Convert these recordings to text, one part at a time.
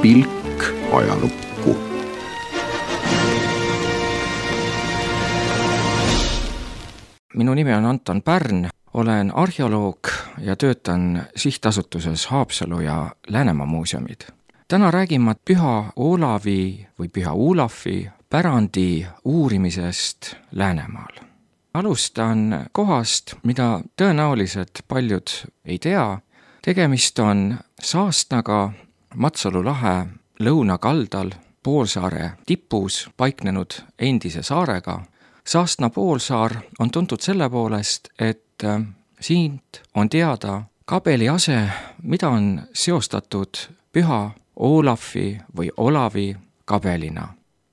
pilk ajalukku. Minu nimi on Anton Pärn, olen arheoloog ja töötan sihtasutuses Haapsalu ja Läänemaa muuseumid. Täna räägin ma Püha Olavi või Püha Olafi pärandi uurimisest Läänemaal. Alustan kohast, mida tõenäoliselt paljud ei tea. Tegemist on Saastnaga Matsalu lahe lõunakaldal poolsaare tipus paiknenud endise saarega. Saastna poolsaar on tuntud selle poolest, et siit on teada kabeliase, mida on seostatud Püha Olafi või Olavi kabelina.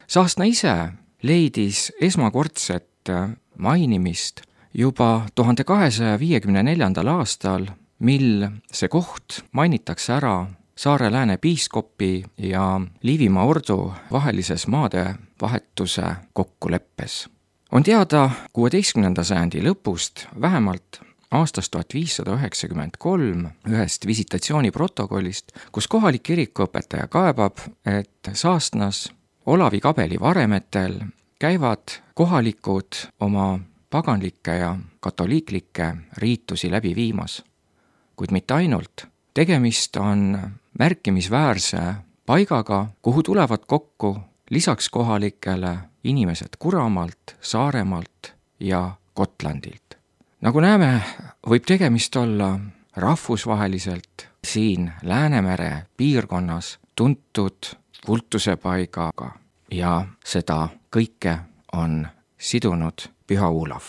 Saastna ise leidis esmakordset mainimist juba 1254. aastal, mil see koht mainitakse ära Saare Lääne piiskopi ja Liivimaa ordu vahelises maade vahetuse kokkuleppes. On teada 16. sajandi lõpust, vähemalt aastast 1593 ühest visitatsiooniprotokollist, kus kohalik kirikuõpetaja kaebab, et Saastnas Olavi kabeli varemetel käivad kohalikud oma paganlikke ja katoliiklikke riitusi läbi viimas. Kuid mitte ainult. Tegemist on märkimisväärse paigaga, kuhu tulevad kokku lisaks kohalikele inimesed Kuramaalt, Saaremaalt ja Gotlandilt. Nagu näeme, võib tegemist olla rahvusvaheliselt siin Läänemere piirkonnas tuntud kultusepaigaga ja seda kõike on sidunud Püha Olav.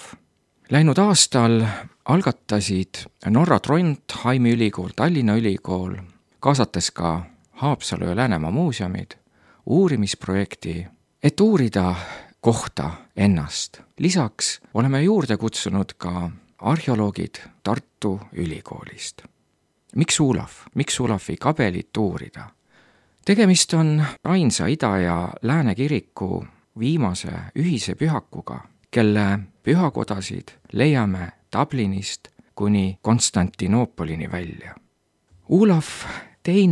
Läinud aastal algatasid Norra Trondheimi ülikool, Tallinna ülikool, kaasates ka Haapsalu ja Läänemaa muuseumid, uurimisprojekti, et uurida kohta ennast. Lisaks oleme juurde kutsunud ka arheoloogid Tartu ülikoolist. Miks Olav? Miks Olavi kabelit uurida? Tegemist on ainsa Ida- ja Lääne kiriku viimase ühise pühakuga, kelle pühakodasid leiame Dublinist kuni Konstantinoopolini välja. Olav II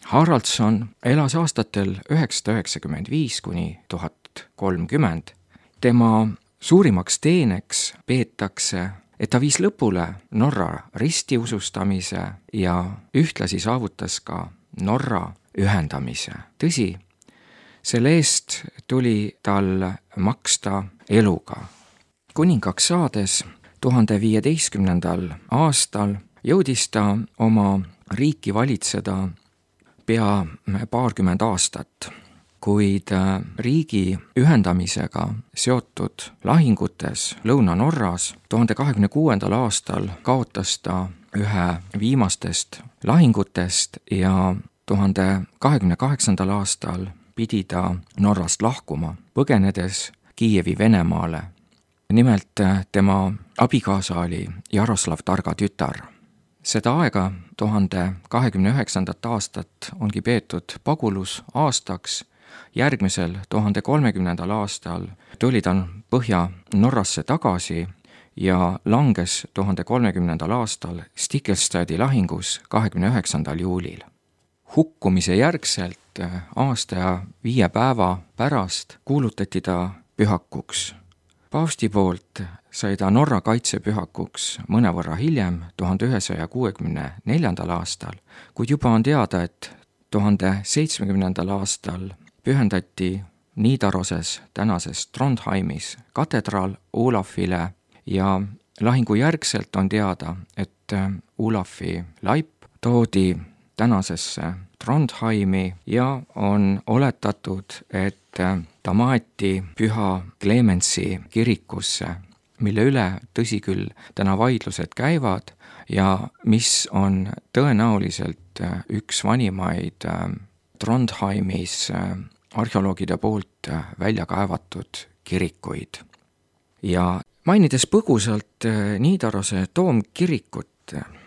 Haraldsson elas aastatel 995 kuni 1030. Tema suurimaks teeneks peetakse, et ta viis lõpule Norra ristiusustamise ja ühtlasi saavutas ka Norra ühendamise. Tõsi, selle eest tuli tal maksta eluga. Kuningaks saades 1015. aastal jõudis ta oma riiki valitseda pea paarkümmend aastat, kuid riigi ühendamisega seotud lahingutes Lõuna-Norras 1026. aastal kaotas ta ühe viimastest lahingutest ja 1028. aastal pidi ta Norrast lahkuma, põgenedes Kiievi Venemaale. Nimelt tema abikaasa oli Jaroslav Targa tütar. Seda aega 1029. aastat ongi peetud pagulusaastaks. Järgmisel 1030. aastal tuli ta Põhja-Norrasse tagasi ja langes 1030. aastal Stiklestadi lahingus 29. juulil. Hukkumise järgselt aasta ja 5 päeva pärast kuulutati ta pühakuks. Paavsti poolt sai ta Norra kaitsepühakuks mõnevõrra hiljem, 1164. aastal, kuid juba on teada, et 1070. aastal pühendati Nidaroses, tänases Trondheimis, katedraal Olafile ja lahingu järgselt on teada, et Olafi laip toodi tänasesse Trondheimi ja on oletatud, et ta maeti Püha Clemensi kirikusse, mille üle tõsi küll täna vaidlused käivad ja mis on tõenäoliselt üks vanimaid Trondheimis arheoloogide poolt välja kaevatud kirikuid. Ja mainides põgusalt Nidarose toomkirikut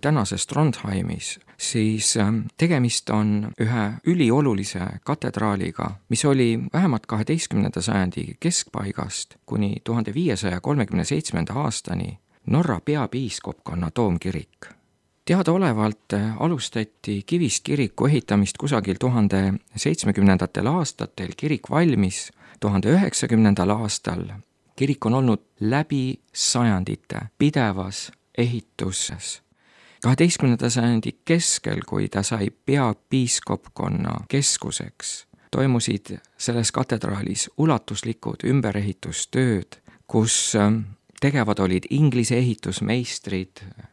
tänases Trondheimis, siis tegemist on ühe üliolulise katedraaliga, mis oli vähemalt 12. sajandi keskpaigast kuni 1537. aastani Norra peapiiskopkonna toomkirik. Teadaolevalt alustati Kivist kiriku ehitamist kusagil 1070. aastatel, kirik valmis 1090. aastal. Kirik on olnud läbi sajandite pidevas ehituses. 12. sajandi keskel, kui ta sai peapiiskopkonna keskuseks, toimusid selles katedraalis ulatuslikud ümberehitustööd, kus tegevad olid Inglise ehitusmeistrid,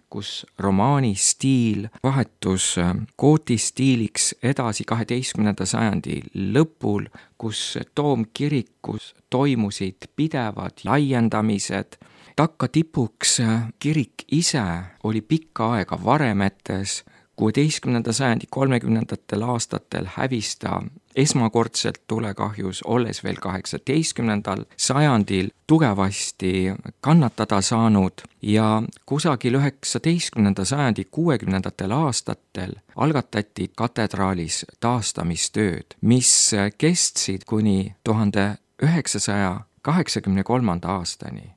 kus romaani stiil vahetus gootistiiliks edasi 12. sajandi lõpul, kus toomkirikus toimusid pidevad laiendamised. Takka tipuks kirik ise oli pikka aega varemetes, 16. sajandi 30. aastatel hävis ta esmakordselt tulekahjus, olles veel 18. sajandil tugevasti kannatada saanud ja kusagil 19. sajandi 60. aastatel algatati katedraalis taastamistööd, mis kestsid kuni 1983. aastani,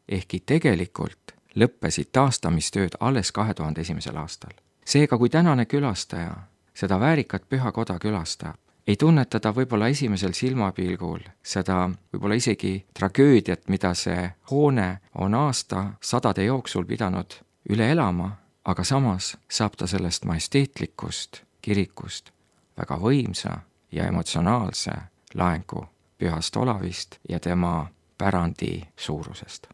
ehkki tegelikult lõppesid taastamistööd alles 2001. aastal. Seega, kui tänane külastaja seda väärikat pühakoda külastab, ei tunneta ta võib-olla esimesel silmapilgul seda võib-olla isegi tragöödiat, mida see hoone on aastasadade jooksul pidanud üle elama, aga samas saab ta sellest majesteetlikust kirikust väga võimsa ja emotsionaalse laengu pühast Olavist ja tema pärandi suurusest.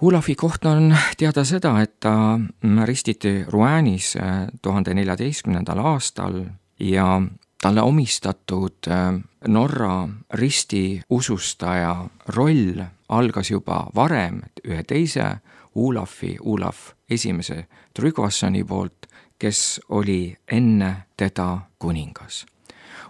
Olavi kohta on teada seda, et ta ristiti Rouenis 1014. aastal ja talle omistatud Norra ristiusustaja roll algas juba varem ühe teise Olavi, Olav esimese Tryggvassoni poolt, kes oli enne teda kuningas.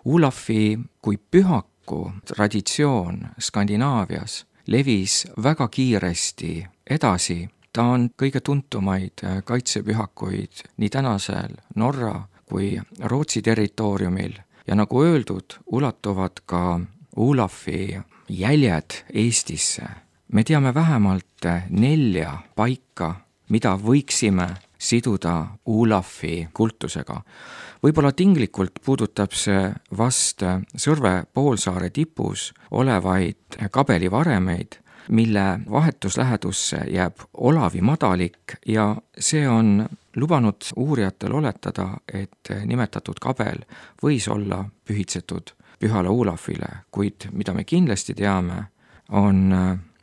Olavi kui pühaku traditsioon Skandinaavias levis väga kiiresti edasi. Ta on kõige tuntumaid kaitsepühakuid nii tänasel Norra kui Rootsi territooriumil ja nagu öeldud, ulatuvad ka Olavi jäljed Eestisse. Me teame vähemalt 4 paika, mida võiksime siduda Olavi kultusega. Võib-olla tinglikult puudutab see vast Sõrve poolsaare tipus olevaid kabelivaremeid, mille vahetuslähedusse jääb Olavi madalik ja see on lubanud uurijatel oletada, et nimetatud kabel võis olla pühitsetud pühale Olavile, kuid mida me kindlasti teame, on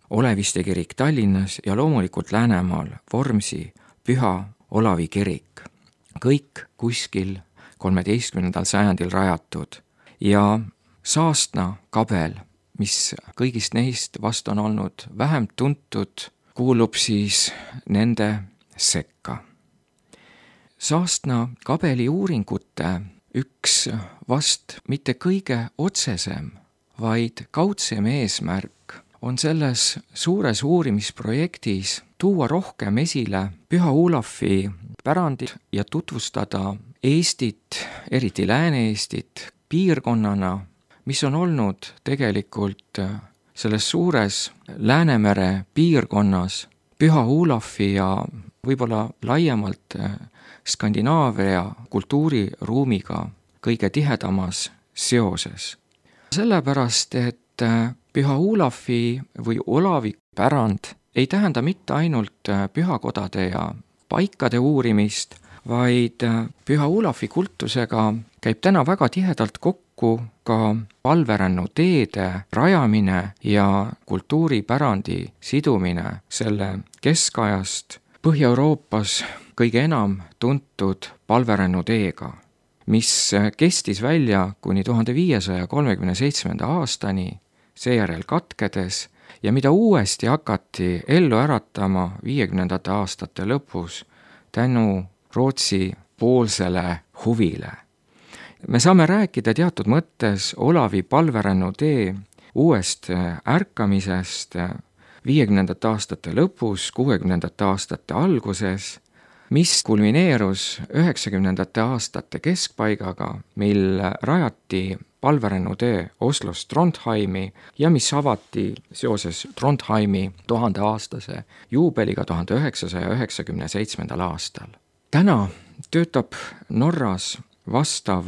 Oleviste kirik Tallinnas ja loomulikult Läänemaal Vormsi Püha Olavi kirik. Kõik kuskil 13. sajandil rajatud ja Saastna kabel, mis kõigist neist vast on olnud vähem tuntud, kuulub siis nende sekka. Saastna kabeli uuringute üks vast mitte kõige otsesem, vaid kaudsem eesmärk on selles suures uurimisprojektis tuua rohkem esile Püha Olavi pärandit ja tutvustada Eestit, eriti Lääne-Eestit, piirkonnana, mis on olnud tegelikult selles suures Läänemere piirkonnas Püha Olavi ja võib-olla laiemalt Skandinaavia kultuuriruumiga kõige tihedamas seoses. Sellepärast, et Püha Olavi või Olavi pärand ei tähenda mitte ainult pühakodade ja paikade uurimist, vaid Püha Olavi kultusega käib täna väga tihedalt kokku ka palverännu teede rajamine ja kultuuripärandi sidumine selle keskajast Põhja-Euroopas kõige enam tuntud palverännu teega, mis kestis välja kuni 1537. aastani, seejärel katkedes ja mida uuesti hakati ellu äratama 50. aastate lõpus tänu Rootsi poolsele huvile. Me saame rääkida teatud mõttes Olavi palverännu tee uuest ärkamisest 50. aastate lõpus, 60. aastate alguses, mis kulmineerus 90. aastate keskpaigaga, mil rajati palverännu tee Oslost Trondheimi ja mis avati seoses Trondheimi 1000-aastase juubeliga 1997. aastal. Täna töötab Norras vastav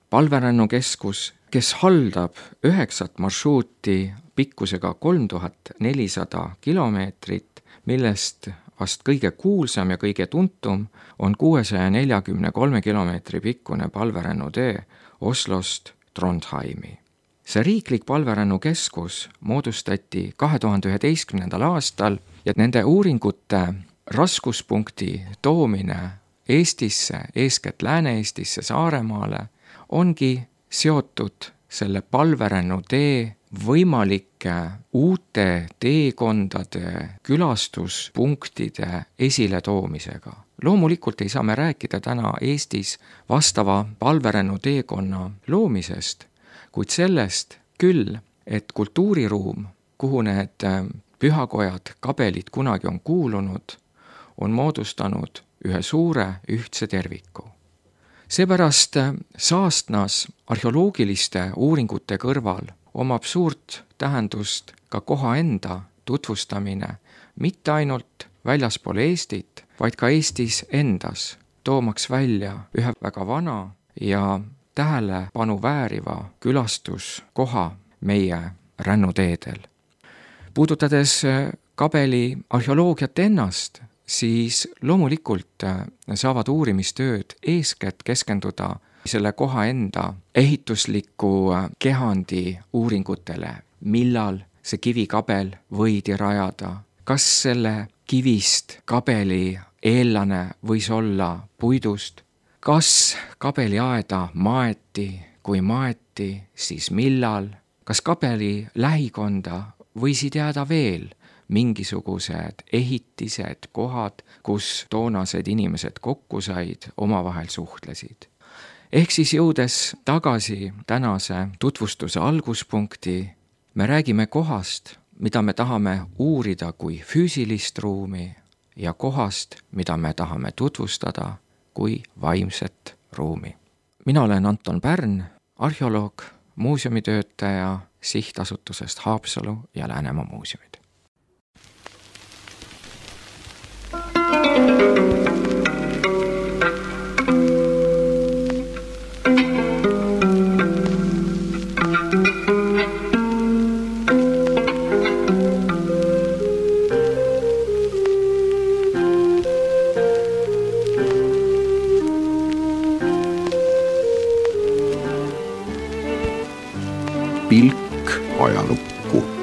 palverännukeskus, kes haldab 9 marsruuti pikkusega 3400 kilomeetrit, millest vast kõige kuulsam ja kõige tuntum on 643 kilomeetri pikkune palverännu tee Oslost Trondheimi. See riiklik palverännukeskus moodustati 2011. aastal ja nende uuringute raskuspunkti toomine Eestisse, eeskätt Lääne-Eestisse, Saaremaale, ongi seotud selle palverännu tee võimalike uute teekondade, külastuspunktide esiletoomisega. Loomulikult ei saa me rääkida täna Eestis vastava palverännu teekonna loomisest, kuid sellest küll, et kultuuriruum, kuhu need pühakojad, kabelid kunagi on kuulunud, on moodustanud ühe suure ühtse terviku. Seepärast Saastnas arheoloogiliste uuringute kõrval omab suurt tähendust ka koha enda tutvustamine mitte ainult väljaspool Eestit, vaid ka Eestis endas, toomaks välja ühe väga vana ja tähelepanu vääriva külastuskoha meie rännuteedel. Puudutades kabeli arheoloogiat ennast, siis loomulikult saavad uurimistööd eeskätt keskenduda selle koha enda ehitusliku kehandi uuringutele, millal see kivikabel võidi rajada, kas selle kivist kabeli eellane võis olla puidust, kas kabeliaeda maeti, kui maeti, siis millal, kas kabeli lähikonda võisid jääda veel mingisugused ehitised, kohad, kus toonased inimesed kokku said, omavahel suhtlesid. Ehk siis jõudes tagasi tänase tutvustuse alguspunkti, me räägime kohast, mida me tahame uurida kui füüsilist ruumi ja kohast, mida me tahame tutvustada kui vaimset ruumi. Mina olen Anton Pärn, arheoloog, muuseumitöötaja sihtasutusest Haapsalu ja Läänemaa muuseumid. Pilk ajalukku.